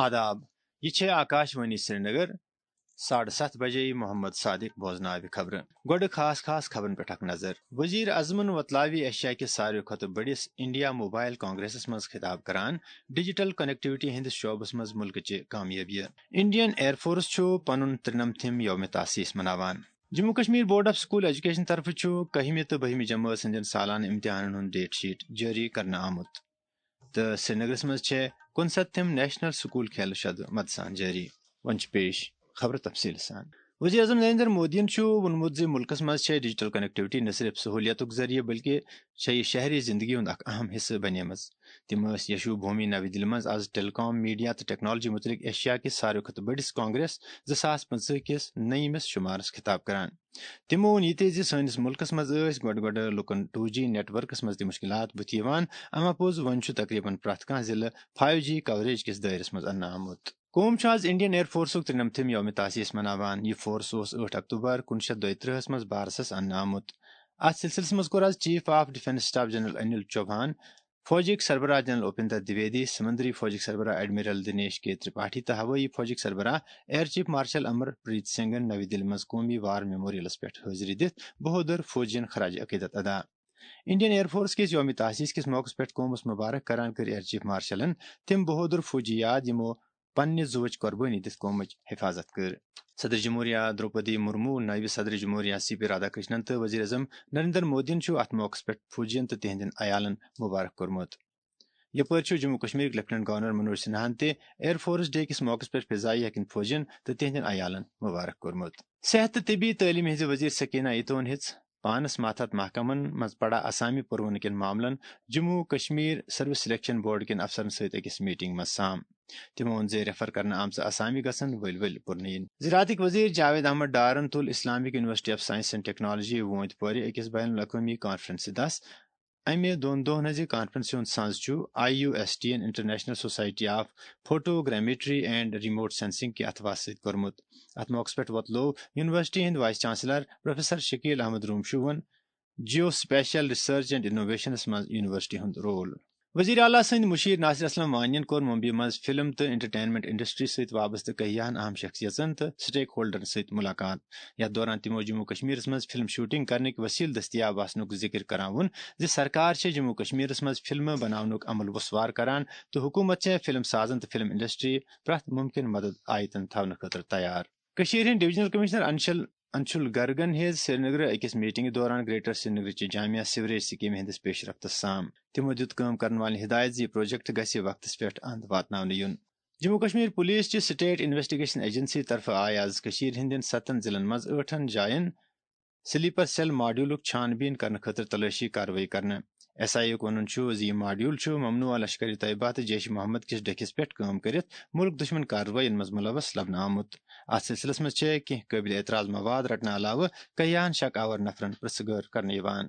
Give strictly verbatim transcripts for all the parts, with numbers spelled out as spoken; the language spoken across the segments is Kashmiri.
آداب، یہِ چھے آکاش وانی سرینگر۔ ساڑٕ ستھ بجے محمد صادق بوزناوِ خبرٕ۔ گۄڈٕ خاص خاص خبرن پٮ۪ٹھ اکھ نظر۔ وزیر اعظمن وۄتلاوِ ایشیا کِس ساروی کھۄتہٕ بٔڑِس انڈیا موبائل کانگریسس منٛز خطاب کران ڈیجیٹل کنیکٹیویٹی ہٕنٛدِس شعبس منٛز ملکٕچہِ کامیٲبیہِ۔ انڈین ایئر فورس چھُ پنُن ترٛنمتھِم یوم تاسیس مناوان۔ Jammu Kashmir board of school education طرفہٕ چھُ کٔہمہِ تہٕ بٔہمہِ جمٲژ ہٕنٛدٮ۪ن سالانہٕ امتحانن ہُنٛد ڈیٹ شیٹ جٲری کرنہٕ آمُت۔ تہٕ سرینگرس منٛز چھےٚ کُنسَتتھِم نیشنل سکول کھیلہٕ شدٕ مدسان جٲری۔ وۄنۍ چھِ پیش خبرٕ تفصیٖل سان۔ وزیر اعظم نریندر مودیَن چھُ ووٚنمُت زِ ملکس منٛز چھےٚ ڈیجیٹل کنیکٹیویٹی نہ صرف سہولیتُک ذٔریعہٕ بلکہِ چھےٚ یہِ شہری زندگی ہُنٛد اکھ اہم حصہٕ بنیمٕژ۔ تِم ٲسۍ یشو بھومی نَوِ دِلہِ منٛز از ٹیلی کام، میڈیا تہٕ ٹیکنالوجی متعلق ایشیا کِس ساروی کھۄتہٕ بٔڑِس کانگریس زٕ ساس پٕنٛژٕہ کِس نٔیمِس شمارس خطاب کران۔ تِمو ووٚن یہِ تہِ زِ سٲنِس مُلکَس منٛز ٲسۍ گۄڈٕ گۄڈٕ لُکَن ٹوٗ جی نیٹ ورکَس منٛز تہِ مُشکِلات بُتھِ یِوان، اَما پوٚز وۄنۍ چھُ تقریباً پرٛٮ۪تھ کانٛہہ ضلعہٕ فایو جی کوریج کِس دٲیرَس منٛز اَننہٕ آمُت۔ قوم چھُ آز انڈین ایئر فورسُک ترٛنمتھِم یوم تاسیس مناوان۔ یہِ فورس اوس ٲٹھ اکتوبر کُنوُہ شیٚتھ دۄیہِ ترٕٛہس منٛز بارسَس اَننہٕ آمُت۔ اَتھ سلسلس منٛز کوٚر آز chief of defence staff general Anil Chauhan, فوجٕکۍ سربراہ جنرل اپیندر دویدی، سمندری فوجٕکۍ سربراہ ایڈمرل دنیش کے ترپاٹھی تہٕ ہوٲیی فوجٕکۍ سربراہ ایئر چیف مارشل امر پریت سنگھن نَوِ دِلہِ منٛز قومی وار میموریلس پٮ۪ٹھ حٲضری دِتھ بہادر فوجین خراج عقیدت ادا۔ انڈین ایئر فورس کِس یوم تاسیس کِس موقعس پٮ۪ٹھ قومس مبارک کران کٔر ایئر چیف مارشلن تِم بہادر فوجی یاد، یِمو پننہِ زُوٕچ قربٲنی دِتھ قومٕچ حفاظت کٔر۔ صدر جمہوریہ درٛوپدی مرمو، نٲیِب صدر جمہوریہ سی پی رادھا کرشنن تہٕ وزیر اعظم نریندر مودیَن چھُ اتھ موقعس پٮ۪ٹھ فوجین تہٕ تِہنٛدٮ۪ن عیالن مبارک کوٚرمُت۔ یپٲرۍ چھُ جموں کشمیرٕکۍ لیفٹیننٹ گورنر منوج سنہاہن تہِ ایئر فورس ڈے کِس موقعس پٮ۪ٹھ فضائیہ کٮ۪ن فوجین تہٕ تِہنٛدٮ۪ن عیالن مبارک کوٚرمُت۔ صحت تہٕ طبی تعلیمہِ ہٕنٛزِ وزیر سکینہ ایتون ہیٚژ پانس ماتحت محکمن منٛز پڑا اسامی پرونہٕ کٮ۪ن معاملن Jammu Kashmir service selection board کٮ۪ن افسرن سۭتۍ أکِس میٹنگ منٛز سام۔ تِمو ووٚن زِ ریفر کرنہٕ آمژٕ اسامی گژھن ؤلۍ ؤلۍ پُرنہٕ یِنۍ۔ زراعتٕکۍ وزیر جاوید احمد ڈارن تُل Islamic university of science and technology وونتھ پورِ أکِس بین الاقوٲمی کانفرنسہِ دس۔ امہِ دۄن دۄہن ہٕنٛزِ کانفرنسہِ ہُنٛد سنز چھُ I U S T and international society of photogrammetry and remote sensing کہِ اتھواسہٕ سۭتۍ کوٚرمُت۔ اتھ موقعس پٮ۪ٹھ وۄتلوو یونیورسٹی ہٕنٛدۍ vice chancellor professor Shakeel Ahmad رومشوہن جیو سپیشل ریسرچ اینڈ انوویشنس منٛز یونیورسٹی ہُنٛد رول۔ وزیر اعلیٰ سٕنٛدۍ مشیر ناصر اسلم وانین کوٚر ممبئی منٛز فلم تہٕ انٹرٹینمنٹ انڈسٹری سۭتۍ وابستہٕ کہیاہن اہم شخصیژن تہٕ سٹیک ہولڈرن سۭتۍ ملاقات۔ یتھ دوران تِمو جموں کشمیرس منٛز فلم شوٹنگ کرنٕکۍ وسیلہٕ دٔستیاب آسنُک ذکر کران ووٚن زِ سرکار چھےٚ جموں کشمیرس منٛز فلمہٕ بناونُک عمل وسوار کران تہٕ حکومت چھےٚ فلم سازن تہٕ فلم انڈسٹری پرٛٮ۪تھ ممکن مدد آیتن تھاونہٕ خٲطرٕ تیار۔ کٔشیٖرِ ہٕنٛدۍ ڈویژنل کمشنر انشل انشول گرگن ہیٚژ سرینگرٕ أکِس میٹنگہِ دوران گریٹر سرینگرٕچہِ جامع سیوریج سکیمہِ ہٕنٛدِس پیش رفتس سام۔ تِمو دِیُت کٲم کرن والٮ۪ن ہدایت زِ یہِ پروجیکٹ گژھِ وقتس پٮ۪ٹھ اند واتناونہٕ یُن۔ جموں کشمیر پولیس چہِ سٹیٹ انویسٹیگیشن ایجنسی طرفہٕ آیہِ آز کٔشیٖرِ ہٕنٛدٮ۪ن ستن ضلعن منٛز ٲٹھن جاین سلیپر سیل ماڈیولُک چھان بیٖن کرنہٕ خٲطرٕ تلٲشی کاروٲیی کرنہٕ۔ ایس آئی یُک وَنُن چھُ زِ یہِ ماڈیول چھُ ممنوعہ لشکر طیبہ تہٕ جیش محمد کِس ڈٔکھِس پٮ۪ٹھ کٲم کٔرِتھ مُلک دُشمن کاروٲیین منٛز مُلوث لبنہٕ آمُت۔ اَتھ سلسلس منٛز چھِ کینٛہہ قٲبلِ اعتراض مواد رٹنہٕ علاوٕ کیاہن شک آور نفرن پرژھہٕ گٲر کرنہٕ یِوان۔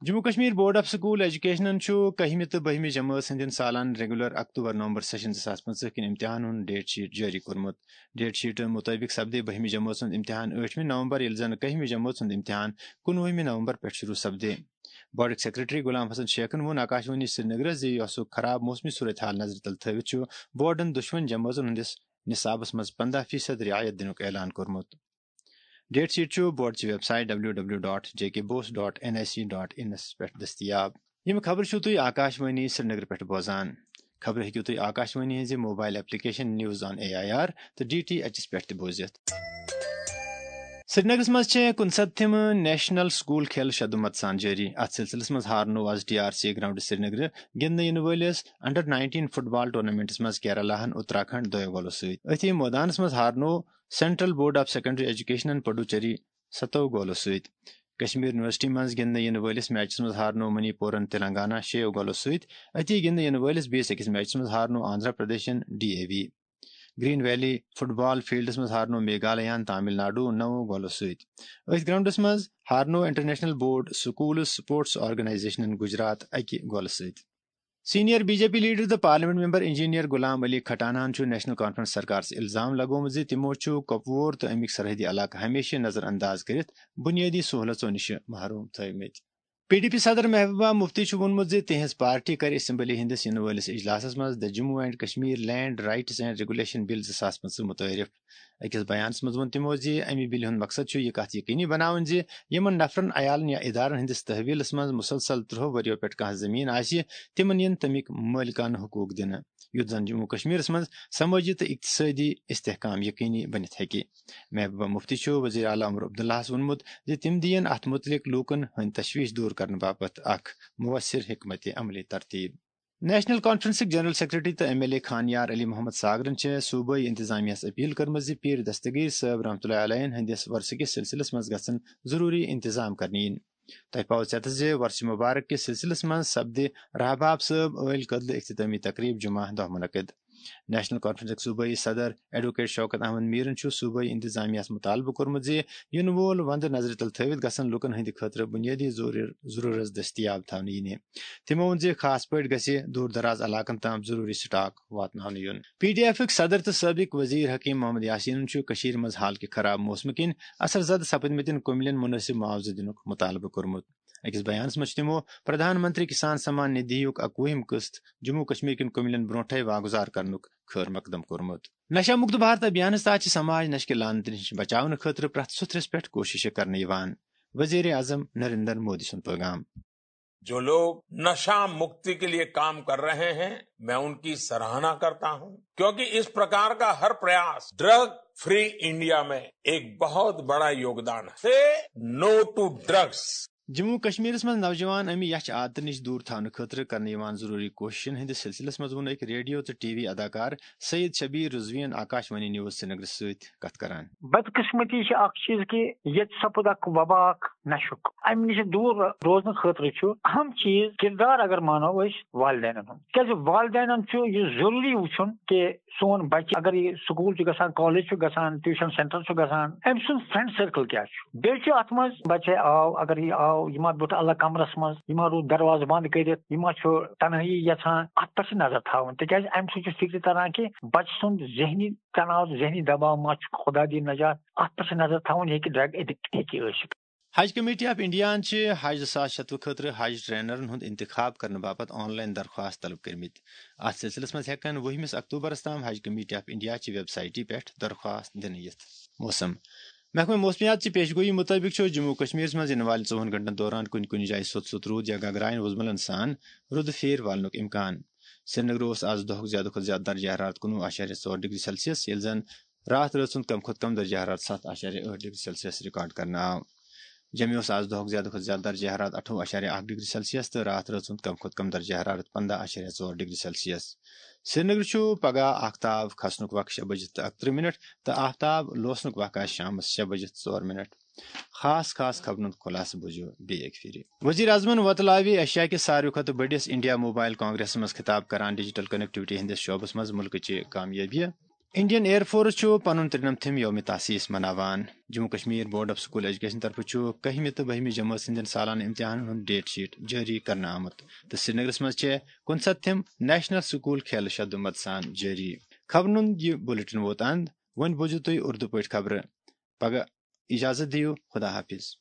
Jammu Kashmir board of school ایجوکیشنن چھُ کٔہمہِ تہٕ بٔہمہِ جمٲژ ہٕنٛدٮ۪ن سالانہٕ ریگولر اکتوبر نومبر سیشن زٕ ساس پٕنٛژٕہ کِن امتحان ہُنٛد ڈیٹ شیٹ جٲری کوٚرمُت۔ ڈیٹ شیٹ مُطٲبِق سپدِ بٔہمہِ جمٲژ ہُنٛد امتحان ٲٹھمہِ نومبر، ییٚلہِ زن کٔہمہِ جمٲژ ہُنٛد امتحان کُنوُہمہِ نومبر پٮ۪ٹھ شروع سپدِ۔ بورڈٕکۍ سیکرٹری غلام حسن شیخن ووٚن آکاشوانی سرینگرس زِ یۄسُک خراب موسمی صورتحال نظرِ تل تھٲوِتھ چھُ بورڈن دۄشوٕنی جمٲژن ہٕنٛدِس نصابس منٛز پنٛداہ فیصد رعایت دِنُک اعلان کوٚرمُت۔ ڈیٹ شیٹ چھُ بورڈ چہِ website W W dot J K BOSE dot N I C dot in پٮ۪ٹھ دٔستیاب۔ یِم خبرٕ چھِو تُہۍ آکاشوانی سرینگر پٮ۪ٹھ بوزان۔ خبرٕ ہیٚکِو تُہۍ آکاشوانی ہٕنٛزِ mobile application news on A I R تہٕ ڈی ٹی ایچ پٮ۪ٹھ تہِ بوٗزِتھ۔ سرینگرس منٛز چھےٚ کُنسَتتھِم نیشنل سکول کھیل شدُمت سان جٲری۔ اتھ سلسلس منٛز ہارنوو آز ٹی آر سی گراؤنڈ سرینگرٕ گِنٛدنہٕ یِنہٕ وٲلِس انڈر نائنٹین فٹ بال ٹورنامنٹس منٛز کیرالہ ہن اتراکھنڈ دۄیو گولو سۭتۍ۔ أتھی مٲدانس منٛز ہارنوو سینٹرل بورڈ آف سیکنڈری ایجوکیشنن پڈوچیری ستو گولو سۭتۍ۔ کشمیر یونیورسٹی منٛز گِنٛدنہٕ یِنہٕ وٲلِس میچس منٛز ہارنوو منی پورن تلنگانہ شیٚیو گولو سۭتۍ۔ أتی گِنٛدنہٕ یِنہٕ وٲلِس بیٚیِس أکِس میچس منٛز ہارنوو آندھرا پردیشن D A V. Green valley football فیلڈس منٛز ہارنوو میگھالیہن تامل ناڈو نَو گولو سۭتۍ۔ أتھۍ گراؤنڈس منٛز ہارنوو انٹرنیشنل بورڈ سکولز سپورٹس آرگنائزیشنن گجرات اکہِ گولہٕ سۭتۍ۔ Senior B J P leader تہٕ parliament member engineer Ghulam Ali کھٹانہن چھُ نیشنل کانفرنس سرکارس الزام لگومُت زِ تِمو چھُ کپوور تہٕ امیُک سرحدی علاقہٕ ہمیشہِ نظر انداز کٔرِتھ بنیٲدی سہولژو نِش محروم تھٲومٕتۍ۔ پی ڈی پی صدر محبوبہ مفتی چھُ ووٚنمُت زِ تِہنٛز پارٹی کرِ اسمبلی ہٕنٛدِس یِنہٕ وٲلِس اجلاسَس منٛز The Jammu and Kashmir Land Rights and Regulation Bill زٕ ساس پٕنٛژٕہ مُتعٲرِف۔ أکِس بیانَس منٛز ووٚن تِمو زِ اَمہِ بِلہِ ہُنٛد مقصد چھُ یہِ کَتھ یقینی بناوٕنۍ زِ یِمَن نفرَن، عیالَن یا ادارَن ہٕنٛدِس تحویلَس منٛز مُسلسل ترٛہو ؤرِیو پٮ۪ٹھ کانٛہہ زٔمیٖن آسہِ، تِمَن یِن تَمِکۍ مٲلکانہٕ حقوٗق دِنہٕ، یُتھ زَن جموں کشمیرَس منٛز سمٲجی تہٕ اقتصٲدی استحکام یقینی بٔنِتھ ہیٚکہِ۔ محبوبہ مفتی چھُ وزیر اعلیٰ عمر عبداللہَس ووٚنمُت زِ تِم دِیِن اَتھ مُتعلِق لوٗکَن ہٕنٛدۍ تشویش دور کرنہٕ باپتھ اکھ مؤثر حکمت عملی ترتیب۔ نیشنل کانفرنسٕکۍ جنرل سیکرٹری تہٕ ایم ایل اے خان یار علی محمد ساگرن چھِ صوبٲئی انتظامیہس اپیل کٔرمٕژ زِ پیٖر دستگیٖر صٲب رحمتہ اللہ علیہن ہٕنٛدِس ورثہٕ کِس سلسلس منٛز گژھن ضروٗری انتظام کرنہٕ یِنۍ۔ تۄہہِ پاوٕ ژٮ۪تس زِ ورثہٕ مبارک کِس سلسلس منٛز سپدِ رحباب صٲب ٲلۍ کٔدلہٕ اختتٲمی تقریب جمعہ دۄہ منعقد۔ نیشنل کانفرنسٕکۍ صوبٲئی صدر ایڈووکیٹ شوکت احمد میرن چھُ صوبٲئی انتظامیہس مطالبہٕ کوٚرمُت زِ یِنہٕ وول وندٕ نظرِ تل تھٲوِتھ گژھن لوٗکن ہٕنٛدِ خٲطرٕ بُنیٲدی ضروٗری-، ضروٗرت دٔستیاب تھاونہٕ یِنہِ۔ تِمو ووٚن زِ خاص پٲٹھۍ گژھِ دوٗر دراز علاقن تام ضروٗری سٹاک واتناونہٕ یُن۔ پی ڈی ایفٕکۍ صدر تہٕ سٲبق وزیر حکیم محمد یاسینن چھُ کٔشیٖرِ منٛز حال کہِ خراب موسمہٕ کِنۍ اثر زدٕ سپدمٕتٮ۪ن کُملٮ۪ن مُنٲسِب معاوضہٕ دِنُک مطالبہٕ کوٚرمُت۔ أکِس بیانَس منٛز چھُ تِمو پرٛدھان منتری کسان سمان ندھی یُک اَکوُہِم قٕسط جموں کشمیر کٮ۪ن کُملٮ۪ن برونٛٹھٕے واگُزار کرنُک خٲر مقدم کوٚرمُت۔ نشہ مکت بھارت ابھیانَس تحت چھِ سماج نشہٕ کہِ لعنتہٕ نِش بچاونہٕ خٲطرٕ پرٛٮ۪تھ سُتھرِس پٮ۪ٹھ کوٗششہٕ کرنہٕ یِوان۔ وزیر اعظم نریندر مودی سُنٛد پیغام۔ जो लोग नशा मुक्ति के लिए काम कर रहे हैं, मैं उनकी सराहना करता हूं, क्योंकि इस प्रकार का हर प्रयास ड्रग फ्री इंडिया में एक बहुत बड़ा योगदान है। से नो टू ड्रग्स। جموں کشمیرس منٛز نوجوان امہِ یچھ عادتہٕ نِش دوٗر تھاونہٕ خٲطرٕ کرنہٕ یِوان ضروٗری کوٗششن ہٕنٛدِس سلسلس منٛز ووٚن أکۍ ریڈیو تہٕ ٹی وی اداکار سید شبیر رضوین آکاش وانی نیوز سرینگرس سۭتۍ کتھ کران۔ بدقسمتی چھِ اکھ چیٖز کہِ ییٚتہِ سپُد اکھ وبا اکھ نشُک۔ امہِ نِش دوٗر روزنہٕ خٲطرٕ چھُ اہم چیٖز، کردار اگر مانو أسۍ، والدینن ہُنٛد۔ تِکیازِ والدینن چھُ یہِ ضروٗری وٕچھُن کہِ سون بچہِ اگر یہِ سکوٗل چھُ گژھان، کالج چھُ گژھان، ٹیوٗشن سینٹر چھُ گژھان، أمۍ سُنٛد فرینڈ سرکل کیٛاہ چھُ؟ بیٚیہِ چھُ اتھ منٛز بچے آو، اگر یہِ آو، یہِ ما بیوٗٹھ الگ کمرس منٛز، یہِ ما روٗد دروازٕ بنٛد کٔرِتھ، یہِ ما چھُ تنہٲیی یژھان، اتھ پٮ۪ٹھ چھِ نظر تھاوٕنۍ، تِکیازِ امہِ سۭتۍ چھُ فکرِ تران کہِ بچہِ سُنٛد ذہنی تناو، ذہنی دباو ما چھُ، خدا دِیِن نجات، اتھ پٮ۪ٹھ چھِ نظر تھاوٕنۍ، یہِ ہیٚکہِ ڈرگ ایڈکٹ ہیٚکہِ ٲسِتھ۔ حج کمیٹی آف انڈیاہن چھِ حج زٕ ساس شتوُہ خٲطرٕ حج ٹرینرن ہُنٛد انتخاب کرنہٕ باپتھ آن لاین درخواست طلب کٔرمٕتۍ۔ اتھ سلسلس منٛز ہٮ۪کن وُہمِس اکتوبرس تام حج کمیٹی آف انڈیا چہِ ویب سایٹہِ پٮ۪ٹھ درخواست دِنہٕ یِتھ۔ موسم۔ محکمہ موسمیات چہِ پیش گویی مُطٲبِق چھُ جموں و کشمیرس منٛز یِنہٕ والٮ۪ن ژوٚوُہن گھنٹن دوران کُنہِ کُنہِ جایہِ سوٚت سوٚت روٗد یا گگراین وُزملن سان رُدٕ پھیرِ والنُک امکان۔ سرینگرٕ اوس آز دۄہُک زیادٕ کھۄتہٕ زیادٕ درجہ حرارت کُنوُہ اعشاریہ ژور ڈگری سیلسیس، ییٚلہِ زن راتھ رٲژ ہُنٛد کم کھۄتہٕ کم درجہ حرارت ستھ اعشاریہ ٲٹھ ڈگری سیلسیس ریکارڈ کرنہٕ آو۔ جمہِ اوس آز دۄہُک زیادٕ کھۄتہٕ زیادٕ درجہ حرارت اَٹھووُہ اعشاریہ اکھ ڈگری سیلسیس تہٕ راتھ رٲژ ہُنٛد کم کھۄتہٕ کم درجہ حرارت پنٛداہ اعشاریہ ژور ڈگری سیلسیس۔ سرینگرٕ چھُ پگہہ آفتاب کھسنُک وق شےٚ بجہِ تہٕ اَکترٕہ منٹ تہٕ آفتاب لوسنُک وق آسہِ شامس شےٚ بجہِ ژور منٹ۔ خاص خاص خبرن ہُنٛد خلاصہٕ بوٗزِو بیٚیہِ اکہِ پھِرِ۔ وزیر اعظمن وۄتلاوِ ایشیا کِس ساروٕے کھۄتہٕ بٔڑِس انڈیا موبائل کانگریسس منٛز خطاب کران ڈیجیٹل کنیکٹیوٹی ہٕنٛدِس شعبس منٛز مُلکٕچہِ کامیٲبی۔ انڈین ایئر فورس چھُ پنُن ترٛنمتھِم یوم تاسیس مناوان۔ Jammu Kashmir board of school education طرفہٕ چھُ کٔہمہِ تہٕ بٔہمہِ جمٲژ ہٕنٛدٮ۪ن سالانہٕ امتحانن ہُنٛد ڈیٹ شیٹ جٲری کرنہٕ آمُت تہٕ سرینگرس منٛز چھےٚ کُنسَتتھِم نیشنل سکول کھیلہٕ شد مدسان جٲری۔ خبرن ہُنٛد یہِ بلیٹن ووت اند۔ وۄنۍ بوٗزِو تُہۍ اردو پٲٹھۍ خبرٕ۔ پگاہ اجازت دِیِو، خدا حافظ۔